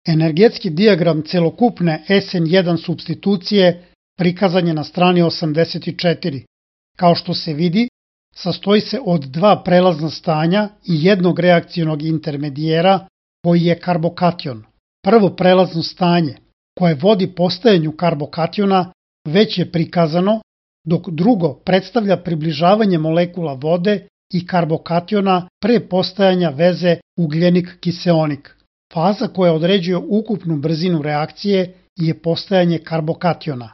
Energetski dijagram celokupne SN1 supstitucije prikazan je na strani 84. Kao što se vidi, sastoji se od dva prelazna stanja i jednog reakcionog intermedijera koji je karbokation. Prvo prelazno stanje, koje vodi postajanju karbokationa, već je prikazano, dok drugo predstavlja približavanje molekula vode i karbokationa pre postajanja veze ugljenik-kiseonik. Faza koja određuje ukupnu brzinu reakcije je postajanje karbokationa.